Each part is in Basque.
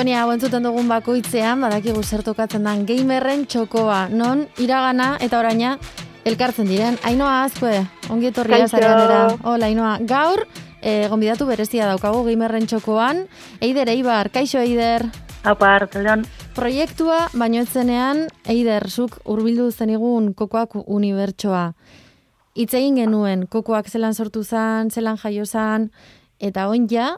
sintonia hau entzuten dugun bakoitzean, badakigu zer tokatzen dan gamerren txokoa, non iragana eta oraina elkartzen diren. Ainoa Azkue, ongi etorria zareanera. Hola, Ainoa. Gaur, gonbidatu berezia daukagu gamerren txokoan. Eider Eibar, kaixo Eider. Apa, hartzean. Proiektua, baino etzenean, Eider, zuk urbildu zenigun kokoak unibertsoa. Hitz egin genuen, kokoak zelan sortu zan, zelan jaio zan, eta oin ja,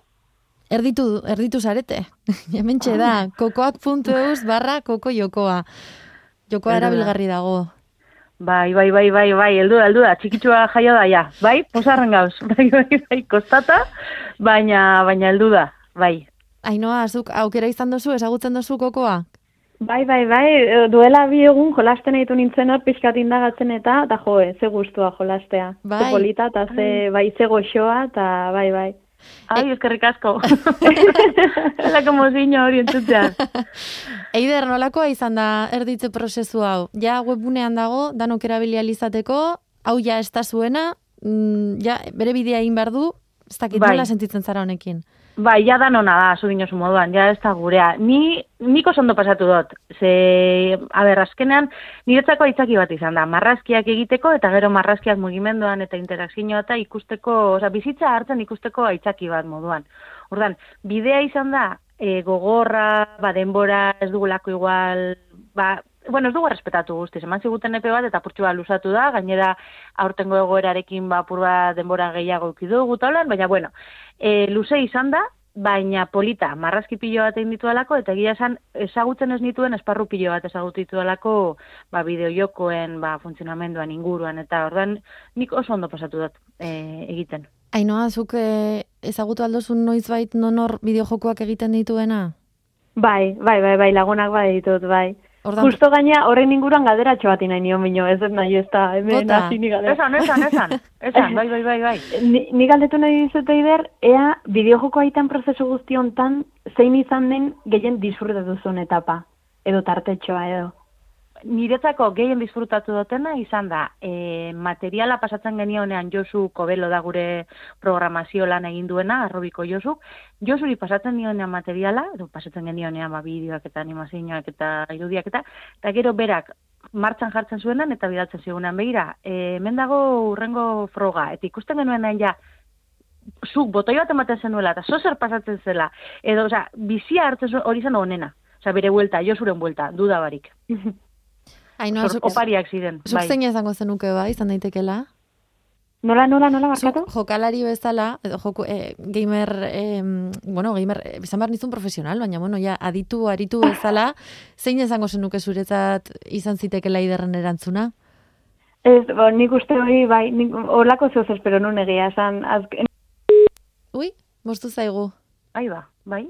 erditu zarete. Hementxe da, kokoak.eus/koko jokoa. Jokoa erabilgarri dago. Bai, heldu da, txikitsua jaio da, ja. Bai, posarren gauz. Bai, kostata, baina heldu da, bai. Ainoa, zuk aukera izan dozu, ezagutzen dozu kokoa? Bai, duela 2 egun jolasten ditu nintzen hor pixkat indagatzen eta ze gustua jolastea. Bai. Ze polita eta ze goxoa eta bai. Ai, eskerrik asko. Lako mozino hori entzutean. Eider, nolakoa izan da erditze prozesu hau? Ja webgunean dago, danok erabilia izateko, hau ja ez da zuena, ja bere bidea egin behar du, ez dakit nola sentitzen zara honekin. Bai, ja da nona da, zu dinosu moduan, ja ez da gurea. Niko oso ondo pasatu dut. Azkenean, niretzako aitzaki bat izan da. Marrazkiak egiteko, eta gero marrazkiak mugimenduan eta interakzioa eta ikusteko, bizitza hartzen ikusteko aitzaki bat moduan. Ordan, bidea izan da, gogorra, denbora, ez dugulako igual, ez dugu respetatu guztiz, eman ziguten epe bat eta apurtxu bat luzatu da, gainera aurtengo egoerarekin apur bat denbora gehiago ikidugu taulan, baina luze izan da, baina polita, marrazki pilo bat egin ditu alako, eta egia esan ezagutzen ez nituen esparru pilo bat ezagutu ditu alako bideojokoen funtzionamenduan inguruan, eta ordan nik oso ondo pasatu dut egiten. Ainoa, zuk ezagutu aldozun noizbait nonor bideojokoak egiten dituena? Bai, lagunak ditut, bai. Justo gaina horren inguruan galderatxo bat nahi nion bino, ez nahi ez da, hemen hasi ni galdera. Esan, bai. Ni galdetu nahi dizut Eider, ea bideojoko aitan prozesu guzti hontan zein izan den gehien disfrutatu duzun etapa, edo tartetxoa edo. Niretzako gehien disfrutatu dutena izan da, materiala pasatzen genionean Josu Kobelo da gure programazio lan egin duena, Arrobiko Josu. Josuri pasatzen dionean materiala, edo pasatzen genionean bideoak eta animazioak eta irudiak eta gero berak martxan jartzen zuenan eta bidaltzen zigunean begira. Hemen dago urrengo froga, eta ikusten genuenean ja, zuk botoi bat ematen zenuela eta zozer pasatzen zela, edo bizia hartzen zuen hori zen honena. Bere buelta, Josuren buelta, duda barik. Ainoa, opariak ziren. Zuk zein izango zenuke izan daitekela? Nola barkatu? Jokalari bezala, edo gamer, izan behar nizun profesional, baina, ja, aritu bezala, zein izango zenuke zuretzat izan zitekela Eiderren erantzuna? Ez, nik uste hori, bai, horlako zehoz espero nun egia, esan, azken... Ui, moztu zaigu. Aiba, bai?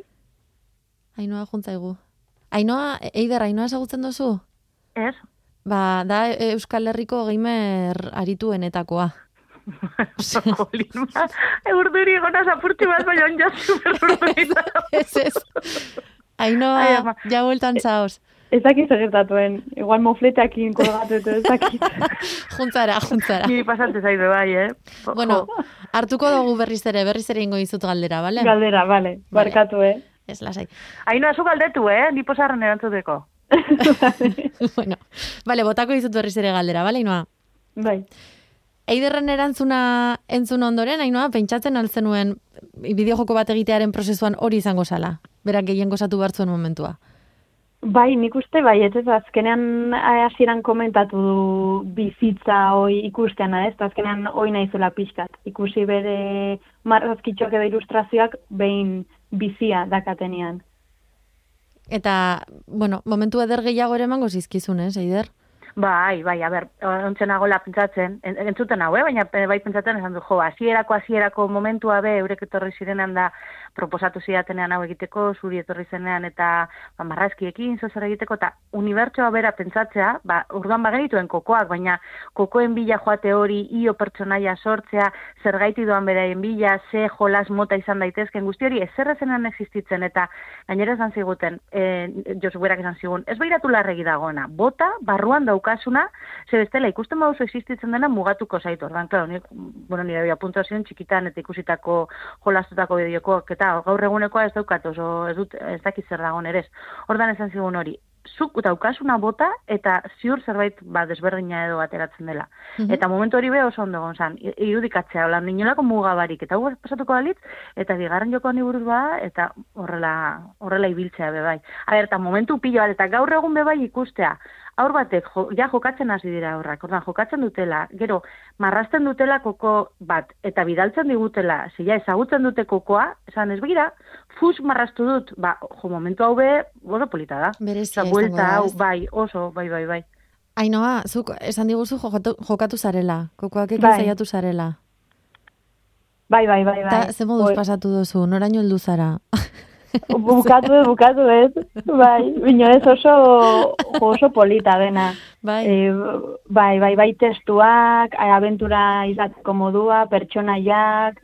Ainoa juntzaigu. Ainoa, Eider, Ainoa ezagutzen duzu? Ez. Da Euskal Herriko gamer arituenetakoa. Urduri gona zapurtxu bat, baina onja superurduri da. Ez. Ainoa, ja bueltan zaoz. Ez dakit segertatuen, igual mofleteakin kolgatu ez dakit. Juntzara. Ni pasante zaidu bai, Bueno, hartuko dugu berriz ere ingo dizut galdera, bale? Galdera, bale, barkatu, Ez lasai. Ainoa, zu galdetu, ni posarren erantzuteko. Bueno, vale, botako dizut berriz ere galdera, bale, Ainoa? Bai. Eiderren erantzuna entzun ondoren, Ainoa, pentsatzen altzenuen bideojoko bat egitearen prozesuan hori izango zala? Berak gehien gozatu hartzuen momentua? Bai, nik uste bai, ez azkenean hasieran komentatu du bizitza hoi ikustean, ez? Azkenean hoi naizela pixkat. Ikusi bere marrazkitxoak edo ilustrazioak behin bizia dakatenean. Eta, momentu eder gehiago ere emango zizkizun, Eider? Bai, ontzen agola pentsatzen, entzuten hau, baina bai pentsatzen esan du, hasierako momentua eurek etorri zirenean da proposatu zidatenean hau egiteko, zuri etorri zenean eta marrazkiekin zozer egiteko, eta unibertsoa bera pentsatzea, urduan bagenituen kokoak, baina kokoen bila joate hori, io pertsonaia sortzea, zergaiti doan beraien bila, ze jolas mota izan daitezken guzti hori, ezerrezenan existitzen, eta gainera esan ziguten, Josu berak esan zigun, ez behiratu larregi dagoena, bota, barruan dauk daukasuna, ze bestela ikusten baduzu existitzen dena mugatuko zaitu. Ordan, claro, nire bia puntua ziren txikitan eta ikusitako jolastutako bideokoak eta gaur egunekoa ez daukat oso ez dakit zer dagoen ere. Ordan esan zigun hori. Zuk daukasuna bota eta ziur zerbait desberdina edo ateratzen dela. Eta momentu hori oso ondo gonzan, irudikatzea, holan inolako mugabarik, eta hau pasatuko dalitz, eta bigarren joko honi buruz bada, eta horrela ibiltzea bebai. Eta momentu pilo bat, eta gaur egun bebai ikustea, aur batek jokatzen hasi dira aurrak, ordan jokatzen dutela, gero marrasten dutela koko bat, eta bidaltzen digutela, zila ezagutzen dute kokoa, esan ez begira, fus marrastu dut, momentu hau oso polita da. Berezia buelta hau, bai, oso, bai. Ainoa, zuk esan diguzu jokatu zarela, kokoak ekin zaiatu zarela. Bai. Eta ze moduz pasatu duzu, noraino heldu zara? Bukatu ez. Bai, bino ez oso polita dena. Bai, testuak, abentura izateko modua, pertsonaiak,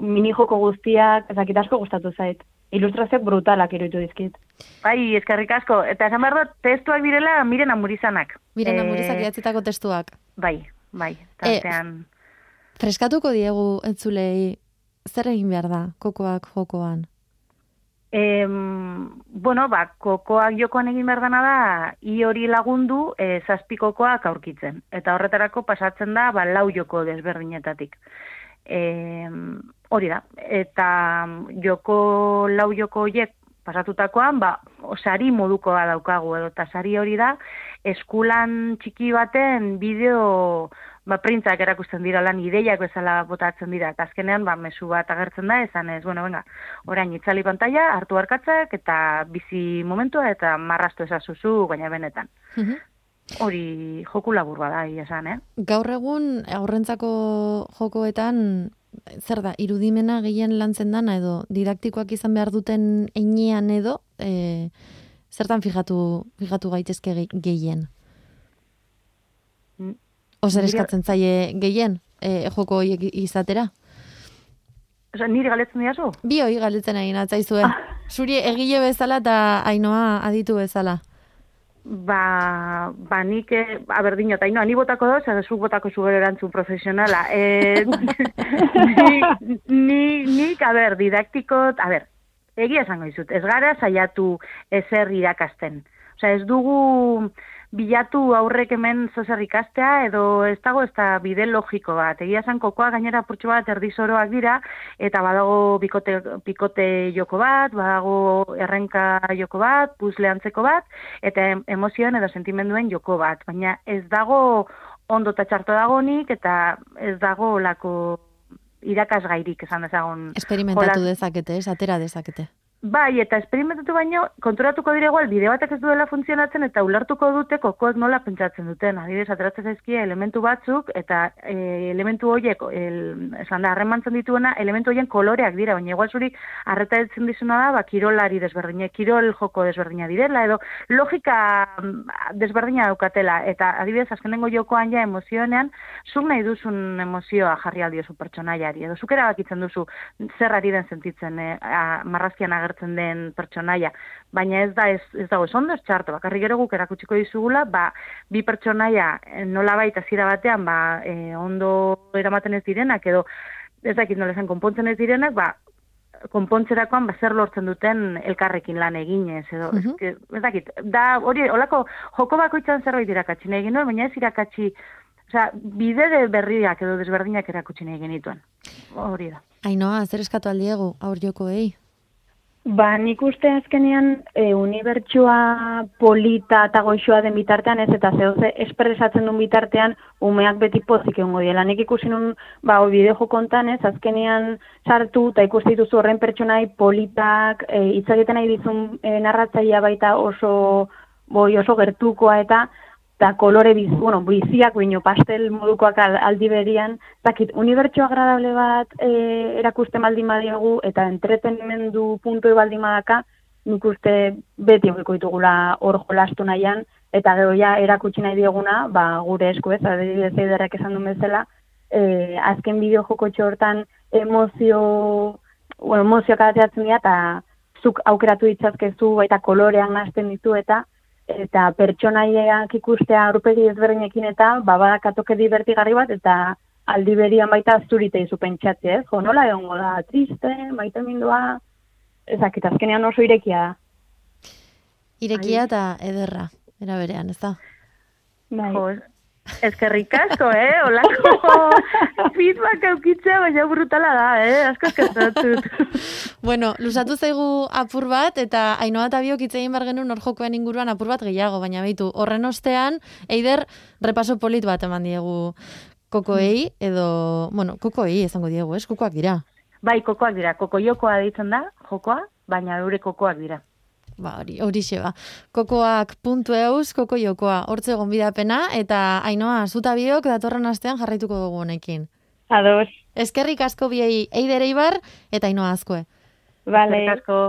minijoko guztiak, ezakit asko gustatu zait. Ilustrazioak brutalak iruditu dizkit. Bai, eskerrik asko. Eta esan behar dut, testuak direla Miren Amurizanak. Miren Amurizak idatzitako testuak. Bai. Tartean. Freskatuko diegu entzulei, zer egin behar da kokoak jokoan? Kokoak jokoan egin behar dana da, i hori lagundu 7 kokoak aurkitzen. Eta horretarako pasatzen da, 4 joko desberdinetatik. Hori da, eta 4 joko horiek pasatutakoan, sari modukoa daukagu edo, eta sari hori da, eskulan txiki baten bideo, printzak erakusten dira lan ideiak bezala botatzen dira, eta azkenean, mezu bat agertzen da, esan ez, orain itzali pantalla, hartu arkatzak, eta bizi momentua, eta marrastu ezazuzu, baina benetan. Hori joku labur bada, esan, Gaur egun, aurrentzako jokoetan, zer da, irudimena gehien lantzen dana edo didaktikoak izan behar duten einean edo, zertan fijatu gaitezke gehien? Ozer eskatzen zaie gehien, joko horiek izatera? Niri galetzen diazu? Bi hori galetzen egin atzaizue. Zuri egile bezala eta Ainoa aditu bezala. Nik, berdino, eta ni botako doz, zuk botako zugero erantzun profesionala. Nik, didaktikot, egia esango izut, ez gara saiatu ezer irakasten. Ez dugu bilatu aurrek hemen zozer ikastea, edo ez dago ez da bide logiko bat. Egia esan kokoa gainera purtsu bat erdizoroak dira, eta badago pikote joko bat, badago errenka joko bat, puzle antzeko bat, eta emozioen edo sentimenduen joko bat. Baina ez dago ondo eta txarto dagonik, eta ez dago lako irakasgairik esan dezagon. Esperimentatu dezakete, atera dezakete. Bai, eta esperimentatu baino, konturatuko dire igual, bide batek ez duela funtzionatzen eta ulertuko dute kokoek nola pentsatzen duten. Adibidez, ateratzen zaizkia elementu batzuk, eta elementu horiek, esan da, harremantzen dituena, elementu horien koloreak dira, baina igual zuri arreta etzen dizuna da, kirolari desberdina, kirol joko desberdina direla, edo logika desberdina daukatela, eta adibidez, azkenengo jokoan ja emozioenean, zuk nahi duzun emozioa jarri aldiozu pertsonaiari, edo zuk erabakitzen duzu zer ari den sentitzen marrazkian agertzen den pertsonaia, baina ez dago ez ondo ez txarto, bakarrik gero guk erakutsiko dizugula, bi pertsonaia nolabait hasiera batean ondo eramaten ez direnak, edo ez dakit nola esan konpontzen ez direnak, konpontzerakoan zer lortzen duten elkarrekin lan eginez, edo ez dakit, da hori olako joko bakoitzan zerbait irakatsi nahi genuen, baina ez irakatsi, bide berriak edo desberdinak erakutsi nahi genituen, hori da. Ainoa, zer eskatu aldiegu aur jokoei? Nik uste azkenean unibertsua polita eta goixoa den bitartean ez, eta zehoze espresatzen duen bitartean umeak beti pozik egongo diela. Nik ikusi nun, bideo jokontan ez, azkenean sartu eta ikusi dituzu horren pertsonai politak, hitz egiten nahi dizun narratzailea baita oso gertukoa eta kolore biziak, pastel modukoak aldi berian, unibertsio agradable bat erakusten baldin badiogu, eta entretenimendu puntoi baldin badaka, nik uste beti egiko ditugula hor jolastu nahian, eta gero ja erakutsi nahi dioguna, gure esku ez, adibidez eiderrak esan duen bezala, azken bideo joko hortan emozioak ateratzen dira, eta zuk aukeratu ditzazkezu, eta kolorean nazten ditu, eta eta pertsonaiak ikustea aurpegi ezberdinekin eta badakatoke divertigarri bat, eta aldi berian baita azturite izu pentsatze, ez? Jo, nola egongo da, triste, maitemindua, ezakit, azkenean oso irekia da. Irekia eta ederra, era berean, ez da? Bai. Jo, eskerrik asko, Olako feedback aukitzea, baina brutala da, asko eskertatut. Bueno, lusatu zaigu apur bat, eta Ainhoa eta biok hitz egin behar genuen hor jokoen inguruan apur bat gehiago, baina beitu, horren ostean, Eider, repaso polit bat eman diegu kokoei, edo, bueno, kokoei esango diegu, ez? Kokoak dira. Bai, kokoak dira, koko jokoa deitzen da, jokoa, baina eure kokoak dira. Ba, horixe ba. Kokoak.eus, koko jokoa, hortze gonbidapena, eta Ainhoa, zuta biok datorren astean jarraituko dugu honekin. Ados. Eskerrik asko biei Eider Eibar eta Ainhoa Azkue. Vale. Eskerrik asko.